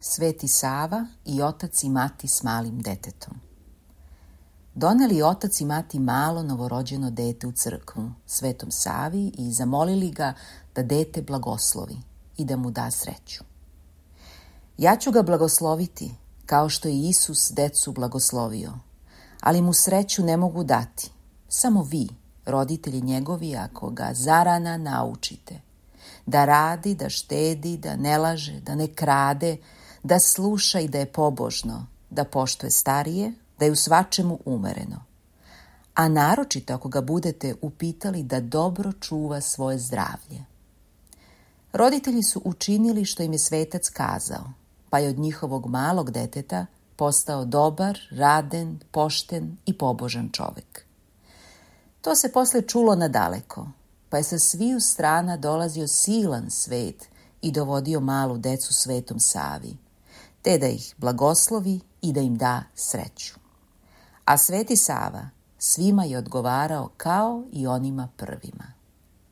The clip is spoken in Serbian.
Sveti Sava i otac i mati s malim detetom. Doneli otac i mati malo novorođeno dete u crkvu, Svetom Savi, i zamolili ga da dete blagoslovi i da mu da sreću. Ja ću ga blagosloviti, kao što je Isus decu blagoslovio, ali mu sreću ne mogu dati, samo vi, roditelji njegovi, ako ga zarana naučite. Da radi, da štedi, da ne laže, da ne krade, da sluša i da je pobožno, da poštuje starije, da je u svačemu umereno. A naročito ako ga budete upitali da dobro čuva svoje zdravlje. Roditelji su učinili što im je svetac kazao, pa je od njihovog malog deteta postao dobar, raden, pošten i pobožan čovek. To se posle čulo nadaleko, pa je sa sviju strana dolazio silan svet i dovodio malu decu Svetom Savi, te da ih blagoslovi i da im da sreću. A Sveti Sava svima je odgovarao kao i onima prvima.